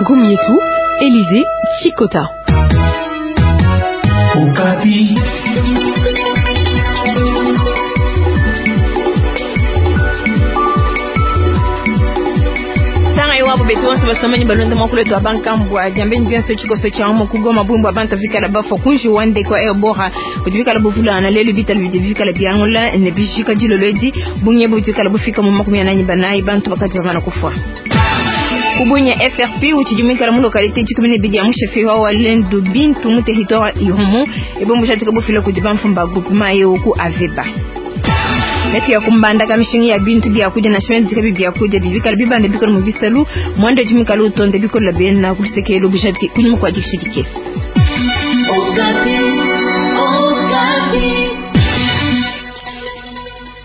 Ngumu yetu Elysée Chikota. Okapi. Tanga iwapo betu bonso basomanyi balonda mwakulu wetu wa bankambua diambeni bionso tshikoso tshia mu kugoma bumbu abantu vikala bafua kunji wande kwa ebora budi bikala buvulana lelu bitala bidi bikala biangula ne bijika dilolo edi bunye budi bikala bufika mu 44 bantu bakadi bamana kufua. Kubunya FRP utshidi muikala mu localité 12 ya mushefi wa Walendu Bintu mu territoire Irumu ebombo jatika bufila kudi bamfumba groupement eu ku Aveba. Netu ya kumbanda mishingi ya bintu bya kudia na shime bika bya kudia bibikala bibande bikala mu bisalu mwando jimikala utonde bikola bena kulisekelo bujatiki kunyuma kwa dikishidike.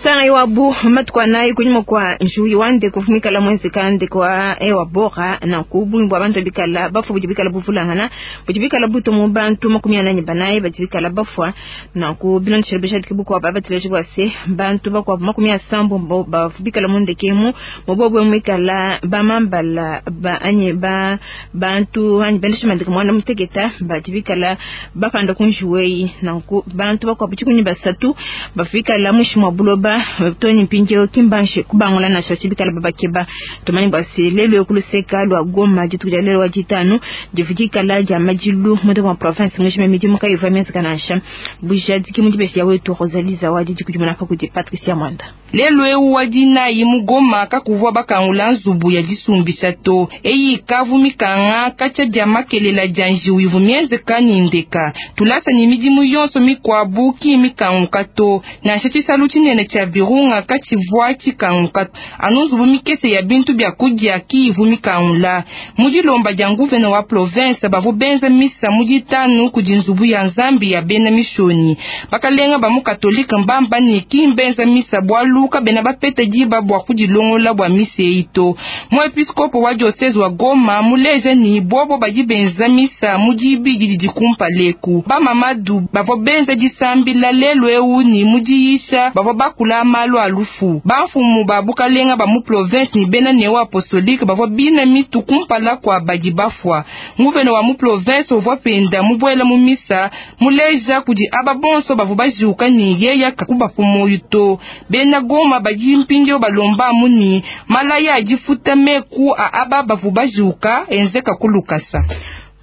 Tanga iwabu matuku nayi kunyuma kwa njuyi wande kufumikala mwezi kande kwa ewa bora na kubumbwa abantu bikala bafu budi bikala buvulangana budi bikala buto mu bantu 44 badi bikala bafwa na ku bilondeshela bujadiki bukwa baba tileje bwa se bantu bakwa 70 bafu bikala mundekemu mubobwe mwikala bamambala ba anye ba bantu anyi bendesha mandika mwana muteketa badi bikala bapanda kunjuweyi na ku bantu bakwa buchikunyi basatu bafikala mushi mwa buloba toni mpinjeo kimbanshe kubangula na shoshi bikala babakeba tumani bwasi lelo kuluseka lwa Goma dituku dia lelo wa ditanu divudikala dia madilu mutu wa province ngishime midimu kayiva mienzi kanasha bujadiki mudibesha wetu Rosalie Zawadi dikudimuna pa kudi Patricia Mwanda. Lelo eu wa dinayi mu Goma kakuvua bakangula nzubu ya disumbisha to eyi kavu mikanga katshia dia makelela dia njiwu ivu mienzeka ni ndeka tulasa ni midimu yonso mikwabu ki mikanguka to nansha tshisalu tshinene tshia Virunga katshivua tshikanguka anu nzubu mikese ya bintu bya kudia ki ivu mikangula mu dilomba dia nguvene wa province bavu benza misa mu ditanu kudi nzubu ya nzambi ya bena mishoni bakalenga ba mu katolika mbamba ni ki mbenza misa bwalu kabena bapete diba bwa kudilongola bwa misa eyi to muepiskopo wa diocese wa Goma muleje ni bobo badi benza misa mu dibidi didi kumpaleku bamamadu bavua benza disambila lelu eu ni mu diyisha bavua bakula malu a lufu bamfumu ba bukalenga ba mu province ni bena neo apostolique bavua bina mitu kumpala kua badi bafua nguvene wa mu province uvua penda mubuela mu misa muleja kudi aba bonso bavua bajuka ni yeya kakubapu moyo to bena Goma badi mpindieu balomba muni malaya adifuta meku a aba bavua bajuka enzeka kulukasa.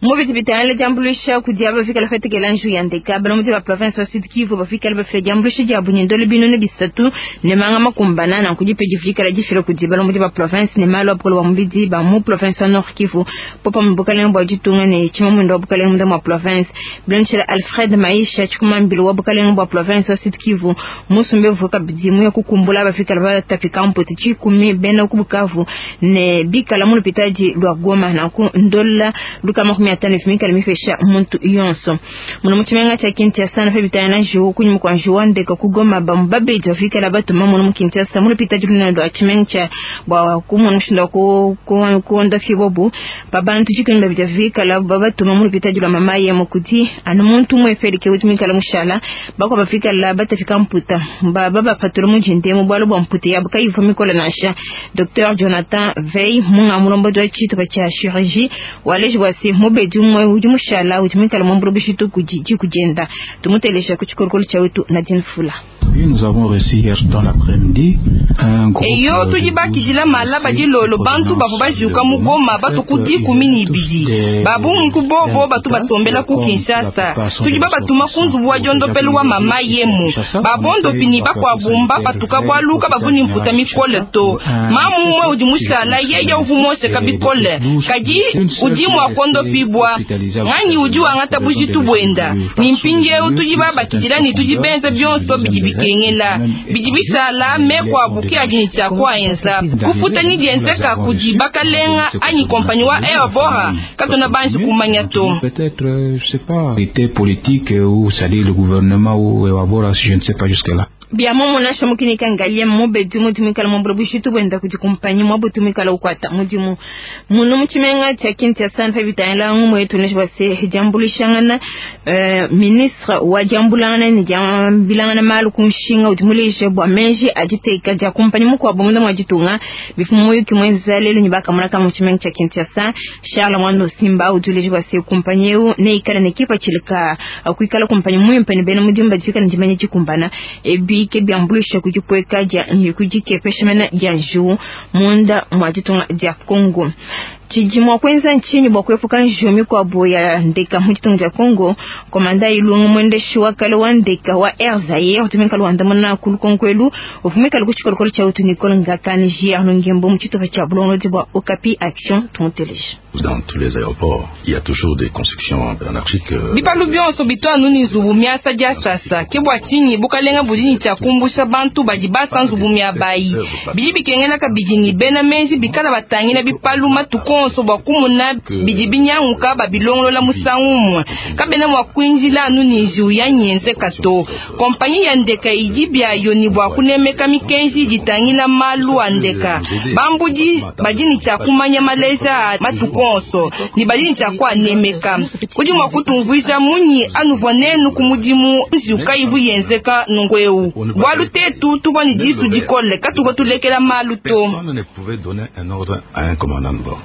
Mubiti bitangile diambuluisha kudi aba bafikala fatekela nju ya ndeka balombodi ba province wa Sud Kivu bafikala bafila diambuluisha dia bunyindolo binunu bisatu ne manga makumbana na kudipe difikala difila kudi balombodi ba province ne malu apolo wa mubidi ba mu province wa Nord Kivu popa mu bukalenga bwa ditunga ne tshimamunda wa bukalenga munda mwa province bilondeshela Alfred Maisha tshikumambilo wa bukalenga bwa province wa Sud Kivu musumbe vuka bidimu ya kukumbula bafikala batapika mputi tshikumi bena ku Bukavu ne bikala mu lupitadi lwa Goma na ku ndola luka 50 fimikala mifesha muntu yonso muno muchimenga cha Kinshasa na febitana na njiwu kunyuma kwa njiwu ndeka kugoma bamu babedi bafikala batuma muno mu Kinshasa muno pita juluna lwa chimenga cha bwa kumona mushinda ku kuonda fibobu babantu chikini babidi bafikala babatuma muno pita julwa mama ye mukudi anu muntu umwe felike utumikala mushala bakwa bafikala batafika mputa baba bapatula mujinde mu bwalo bwa mputa yabo kayiva mikola nasha Dr Jonathan Vey munga mulombo dwa chito cha chirurgie waleji bwasi mubedi umwe udi mushala utumikala mwambulu bishitu kujiji kujenda tumutelesha kuchikorokolo cha wetu Nadine Fula. Nous avons reçu hier dans l'après-midi un groupe eyo tudi bakijila mala badilolo bantu bavua bajuka mu Goma batuku 12 babungi ku bobo batu basombela ku Kinshasa tudi babatuma ku nzubu wa diondopelu wa mama yemu babondopi ni bakuabumba patuka bwaluka bavuni mputa mikole to mamu umwe udi mushala yeye uvu mosheka bikole kadi udi mua kondopibwa nganyi udi wangata bujitu bwenda ni mpindieu tudi babakidila ni tudi benza bionso bidi bikengela bidi bisala mekwabu ke adi ni tshia kuaenza kufuta ni dienzeka kudi bakalenga anyi kompanyi wa Air Bora katona banji kumanya to. Peut-être, je sais pas, été politique ou c'est-à-dire le gouvernement ou Air Bora, je ne sais pas jusque-là. Bia muomumue nansha mukinika Ngaliema mubedi mudimu ikala muambula bujitu buenda kudi kumpanyi muabu tumikala ukuata mudimu munu mu tshimenga tshia Kinshasa pa bitangila ngumu yetu ne bua se diambuluishangana ministre wa diambulangana ne diambilangana malu ku nshinga udi muleje bua meji a diteka dia kumpanyi mukuabu munda mua ditunga bifu muyuki muenza lelu ne bakamona ka mu tshimenga tshia Kinshasa. Charles Mwando Simba udi uleje bua se kumpanyi eu neikale ne kipatshila ka kuikala kumpanyi muimpe ne bena mudimu badi bikale ne dimanya dikumbana ebi ke biambuluisha kudipueka dia kudikepesha mena dia njiwu munda mua ditunga dia Congo. Tshidi mua kuenza ntshinyi bua kuepuka njiwu mikuabu ya ndeka mu ditunga dia Congo? Komanda Ilungu mwendeshi wa kale wa ndeka wa Air Zaire utumika luandamuna ku lukonko elu uvumika ku tshikolokolo tshia utu Nicole Ngakani JR Ngembo mu tshitupa tshia bulongolodi bua Okapi Action tumuteleje. Dans tous les aéroports, il y a toujours des constructions anarchiques. Bipalu bionso bitwanu ni nzubu miasa dia sasa ke bua tshinyi bukalenga budi ne tshia kumbusha bantu badi basa nzubu miabayi bidi bikengela kabidi ni bena menji bikala batangila bipalu matuku onso bua kumuna bidi binyanguka babilongolola musangu umue kabena mua kuinjila anu ni njiwu ya nyenzeka to. Kompanyi ya ndeka idi byayo ni bua kunemeka mikenji ditangila malu a ndeka bambudi badi ne tshia kumanya maleja a matuku onso ni badi ne tshia kuanemeka. Udi mua kutumvuija munyi anuvua nenu ku mudimu njiwu kayivu yenzeka nungu eu bualu tetu tuvua ne disu dikole katuvua tulekela malu to. Personne ne pouvait donner un ordre à un commandant de bord.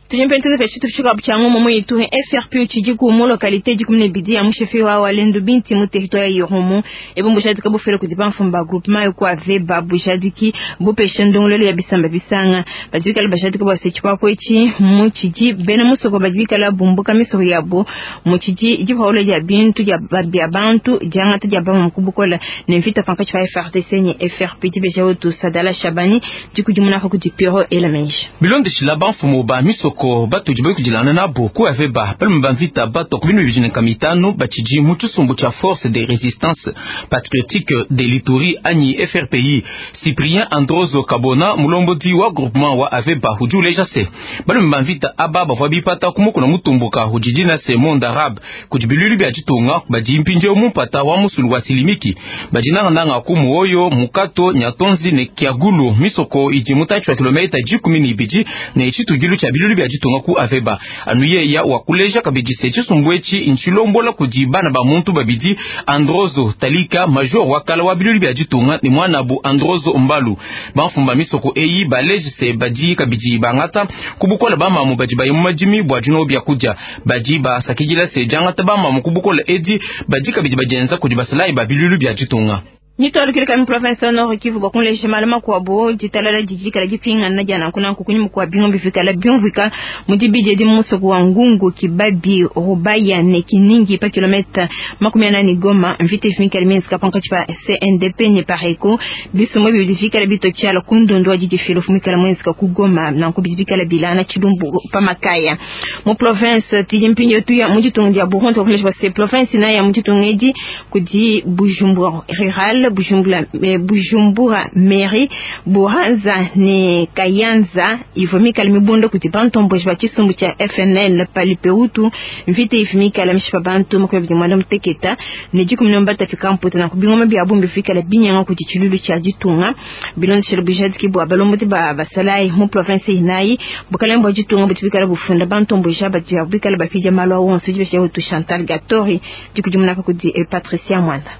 Tujimpe tuze tufika buchango momo yetu FRP utshidi ku mu localité 12 ya mushefe wa Walendu Binti mu territoire ya Irumu ebo bujadika bufele kudi bamfumba groupement yo kwa veba bujadiki bupesha ndongolelo ya bisamba bisanga badikala bajadika bwa sechipa kwechi mu tshidi bena musoko badikala bumbuka misoko yabo mu tshidi dipawula dia bintu dia babia bantu diangata dia ba mukubukola ne mvita pankachi pa FRDC ni FRP dibeja otu Sadala Shabani dikudimuna ko kudi Pierrot Elamenji bilondeshila bamfumu ba misoko batudi bayukidilana nabo ku aveba balume ba mvita bato ku binu bibidi na kamitano batshidi mu tshisumbu tshia force de résistance patriotique de l'Ituri anyi FRPI. Cyprien Androzo Kabona mulombodi wa groupement wa aveba udi uleja se balume ba mvita aba bavua bipata ku mukuna mutumbuka udi na se monde arabe kudi bilulu bia ditunga badi mpindieu mu mpata wa musulu wa Silimiki badi nangananga ku muoyo mukato nyatonzi ne kiagulu misoko idi mutatshi wa kilomita 12 ne tshitudilu tshia bilulu bia ditunga ku aveba anu yeya wakuleja kabidi se tshisumbu etshi ntshilombola kudi bana ba muntu babidi Androzo Talika major wakala wa bilulu bia ditunga ne mwanabu Androzo Mbalu. Bamfumba misoko eyi baleji se badi kabidi bangata kubukola bamamu badi baye mu madimi bua dino bia kudia badi basakidila se diangata bamamu kubukola edi badi kabidi badienza kudi basalayi ba bilulu bia ditunga. Nitolukile kami province ya Nord Kivu bakunleje malama kwabo ditalala didikala dipingana dia nanku nanku kunyima kwa bingo bifikala byumvika mu dibidi edi musoko wa Ngungu Kibabi Rubaya ne Kiningi pa kilomita 48 Goma mvita ifikala minska pankatshi pa CNDP ne Pareko bisomo bidifikala bitotshiala kundundu wa didifilo fumikala mwenzika ku Goma nanku bidikala bilana tshilumbu pa makaya mu province tidi mpinyo tuya mu ditunga dia Burundi bakunleje ba se province na ya mu ditunga edi kudi Bujumbura rural Bujumbura, Bujumbura mairie Buhanza ne Kayanza ivomikala mibondo kuti bantomboji ba tshisumbu tshia FNL palipeutu mvita ifimikala mishipa bantu 21 muteketa ne 13 fika mputa na kubingoma bia bumbi fikala binyanga kuti tshilulu tshia ditunga bilondeshela bujadiki bua balombodi ba basalayi mu province inayi bukalenga bua ditunga buti bikala bufunda bantomboji aba dia bikala bafija malu awonso dibesha utu Chantal Gatori dikudimunaka kudi Patricia Mwanda.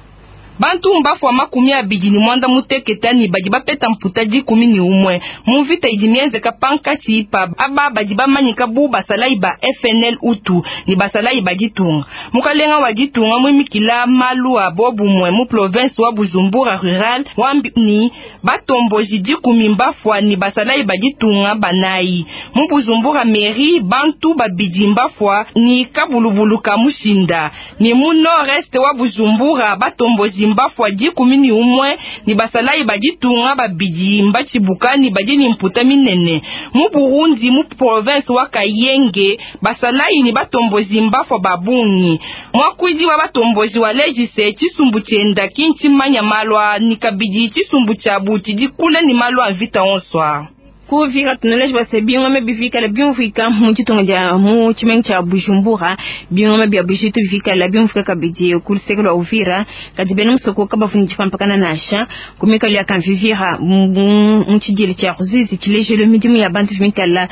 Bantu mbafua 28 ni badi bapeta mputa 11 mu mvita idi mienzeka pankatshi pa aba badi bamanyika bu basalayi ba FNL utu ni basalayi ba ditunga. Mukalenga wa ditunga mwimikila malu a bobumwe mu province wa Bujumbura rural wambi ni batomboji 10 mbafua ni basalayi ba ditunga banayi mu Bujumbura mairie bantu babidi mbafua ni kabulubulu ka mushinda ni mu nord-est wa Bujumbura batomboji mbafua 11 ni basalayi ba ditunga babidi mbatshibuka ni badi ni mputa minene mu Burundi mu province wa Kayenge basalayi ni batomboji mbafua babungi mwakwidi wa batomboji wa lejise tshisumbu tshienda kinchi manya malwa ni kabidi tshisumbu tshiabu tshidi kule ni malwa mvita onswa. Ku Uvira tunuleje bua se bingoma bivikala biumvuika mu ditunga dia mu tshimenga tshia Bujumbura, bingoma bia bujitu bivikala biumvuika kabidi ku luseke lua Uvira, kadi bena musoko kabavu ne dipampakana nansha ku mikalu ya Kamvivira mu tshidiila tshia Ruzizi. Tshilejelu midimu ya bantu ivua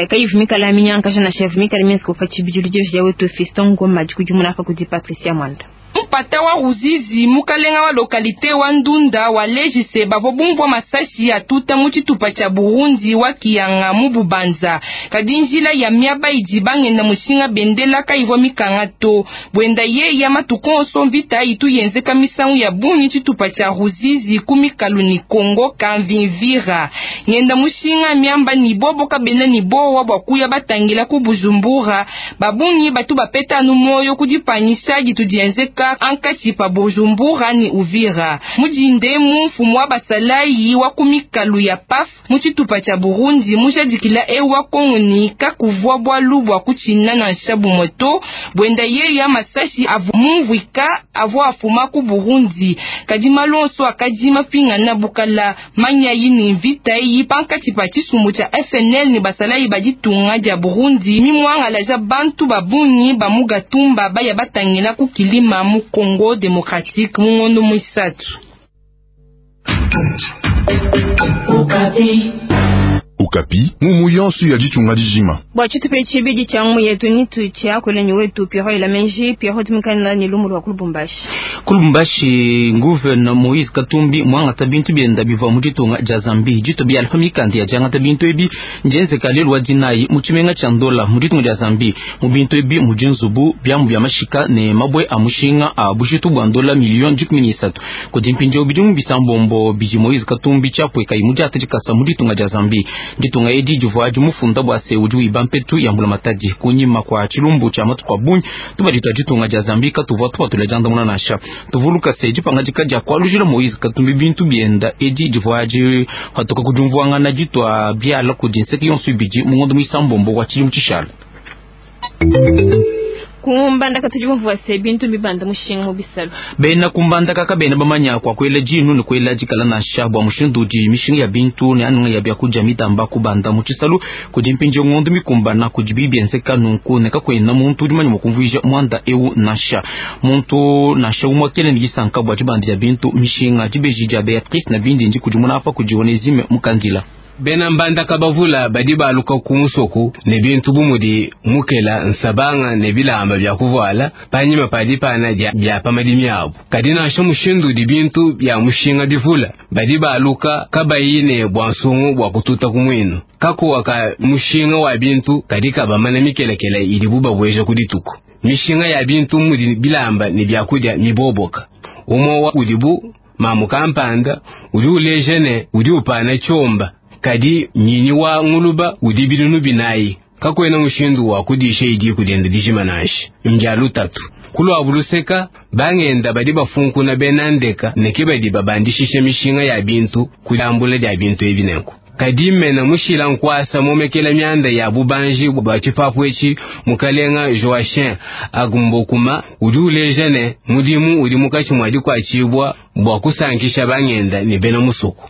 kayivua mikala minyankaja nansha ivua mikala mienzeka pa tshibidilu. Dibeji dia wetu Fiston Ngoma dikudimuna apa kudi Patricia Mwanda. Mpata wa Ruzizi, mukalenga wa localité wa Ndunda waleji se bavua bumvua masashi atuta mu tshitupa tshia Burundi wa Kiyanga mu Bubanza, kadi njila ya miaba idi bangenda mushinga bendela kayivua mikanga to. Buenda yeya matuku onso mvita itu yenzeka misangu ya bungi tshitupa tshia Ruzizi ku mikalu ni Kongo Kamvimvira. Ngenda mushinga miamba ni bobo kabena ni bowa bua kuya batangila ku Bujumbura, babungi batu bapeta anu moyo kudipanyisha ditu dienzeka ankatshi pa Bujumbura ni Uvira. Mujindemu mfumu wa basalayi wa ku mikalu ya PAF mu tshitupa tshia Burundi mujadikila ewa Kongo ni kakuvua bwalu bua kutshina nansha bumue to. Buenda yeya masashi avu mumvuika avua afuma ku Burundi, kadi malu onso akadi mapingana bukala manyayi ni mvita eyi pankatshi pa tshisumbu tshia FNL ni basalayi ba ditunga dia Burundi mimwangalaja bantu babungi ba mu Gatumba baya batangila ku kilima mu Congo démocratique mu ngondo mwisatu. Okapi mumu yonso ya ditunga dijima. Bua tshitupa tshibidi tshia ngumu yetu ni tutshiakule ni wetu Pierrot Ilamenji. Pierrot tumikana ni lumu lwa ku Lubumbashi. Ku Lubumbashi gouverneur Moïse Katumbi mwangata bintu bienda bivua mu ditunga dia Zambie dito bia alfa mikanda ya diangata bintu ebi ndienzeka lelu wa dinayi mu tshimenga tshia Ndola mu ditunga dia Zambie. Mu bintu ebi mudi nzubu, biamu bia mashika ne mabue a mushinga a bujitu bua ndola milioni 13. Kudi mpindieu bidimu bisambombo bidi Moïse Katumbi tshiapuekayi mu diata dikasa mu ditunga dia Zambie. Ditunga edi divua dimufunda bua se udi wiba mpetu ya mbulamatadi kunyima kwa tshilumbu tshia matuku a bungi tubadi tua ditunga dia Zambie katuvua tupatula diandamuna nansha. Tuvuluka se dipangadika dia kualujila Moïse Katumbi bintu bienda edi divua dipatuka ku diumvuangana ditua biala kudi nseke yonso ibidi mu ngondo muisambombo wa tshidimu tshishala. Kumbandaka tudi bumvua se bintu bibanda mushinga mu bisalu. Bena kumbandaka kabena bamanya kwa kuela dinu ne kuela dikala nansha bua mushindu udi mishinga ya bintu ne anunga ya biakudia mitamba kubanda mu tshisalu kudi mpindieu ngondo mikumbana kudi bibienzeka nunku ne kakuena muntu udi manya mua kumvuija muanda eu nansha. Muntu nansha umue kena ne disanka bua dibanda dia bintu mishinga. Dibeji dia Beatrice na bindi ndi kudimuna apa kudi Onesime Mukandila. Bena mbandaka bavula badi baluka ku musoko ne bintu bu mudi mukela, nsabanga ne bilamba bia kuvuala panyima pa dipana dia pa madimi abu. Kadi nansha mushindu udi bintu bia mushinga bivula, badi baluka kabayi ne bua nsungu bua kututa ku muinu. Kakuwa ka mushinga wa bintu kadi kabamana mikelekele idibu babueja ku dituku. Mishinga ya bintu mudi bilamba ne biakudia miboboka. Umue wa udibu mamu kampanda udi uleja ne udi upana tshiomba, kadi nyinyi wa nguluba udi binunu binayi. Kakuena mushindu wa kudisha idi kudienda dijima nansha. Mbia lutatu. Kuluabu luseka bangenda badi bafunkuna bena ndeka ne ke badi babandishisha mishinga ya bintu kulambula dia bintu ebi nenku. Kadi mena mushila nkwasa momekela mianda ya bubanji bua tshipapu etshi mukalenga Joachim Agumbokuma udi uleja ne mudimu udi mukatshi mua dikuatshibua bua kusankisha bangenda ne bena musoko.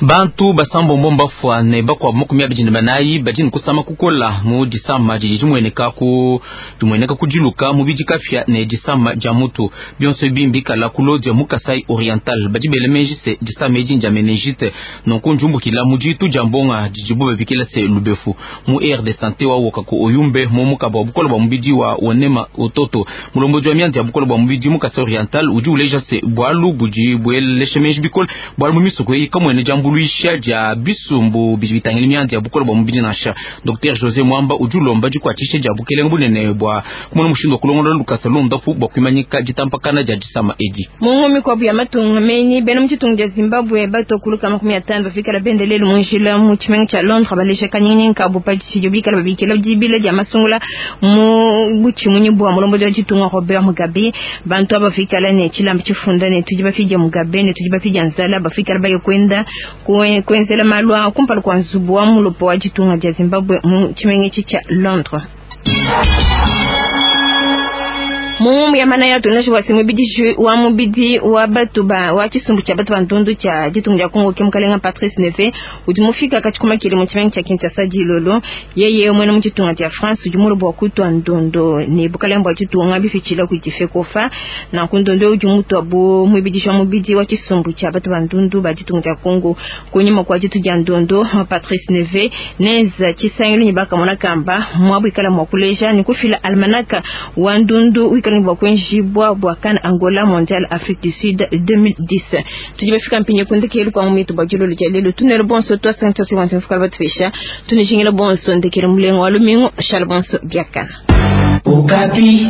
Bantu basambombo mbafua ne bakuabu 24 badi ne kusama kukola mu disama didi dimueneka ku dimueneka ku diluka mubidi kapia ne disama dia mutu. Bionso ebi mbikala ku Lodja mu Kasai Oriental. Badi bela meji se disama edi ndia meningite, nunku ndiumbukila mu ditu dia mbonga didibu babikila se lubefu. Mu aire de santé wa Wokako Oyumbe mu mukaba wa bukola bua mubidi wa Onema Ototo, mulombodi wa mianda ya bukola bua mubidi mu Kasai Oriental udi uleja se bualu budi buelesha meji bikole bualu mu misoko eyi kamuena diambuluisha dia bisumbu bidi bitangila mianda ya bukola bua mubidi nansha. Dr José Mwamba udi ulomba dikuatshisha dia bukelenge bunene bua kumona mushindu wa kulongolola lukasa londapu bua kuimanyika ditampakana dia disama edi. Mu mikuabu ya matunga menyi bena mu ditunga dia Zimbabwe batokuluka 50 bafikala bendelelu mu njila mu tshimenga tshia Londres baleja kanyinyi kabu pa tshidio bikala babikila dibila dia masungula mu butshimunyi bua mulombodi wa ditunga Robert Mugabe. Bantu aba bafikala ne tshilamba tshifunda ne tudi bafidia Mugabe ne tudi bafidia nzala, bafikala baye kwenda kuenzela malu a kumpala kua nzubu wa mulopo wa ditunga dia Zimbabwe mu tshimenga etshi tshia Londres. Mu ya manaya tunashi bua se muibidiji wa mubidi wa batu ba wa tshisumbu tshia batu ba ndundu tshia ditunga dia Kongo ke mukalenga Patrice Neve udi mufika katshikuma kile mu tshimenga tshia Kinshasa dilolo. Yeye muena mu ditunga dia France udi mulu bua kutua ndondo ne bukalenga bua ditunga bifitshila kudi FECOFA. Nanku ndondo udi mutua bu muibidiji wa mubidi wa tshisumbu tshia batu ba ndundu ba ditunga dia Kongo. Kunyima kua ditu dia ndondo Patrice Neve nenza tshisangilu ne bakamona kamba muabu ikala mua kuleja ne kufila almanaka wa ndundu wikala bua kuenjibua bua CAN Angola Mondial Afrique du Sud 2010. Tudi bafika mpinye kundekelu kwa mumitu bua dilolo dia lelo tunelo bonso twasantasiwantu mfukala batupesha tunijingila bonso ndekelo mulengo wa lumingu shala bonso biakana. Okapi.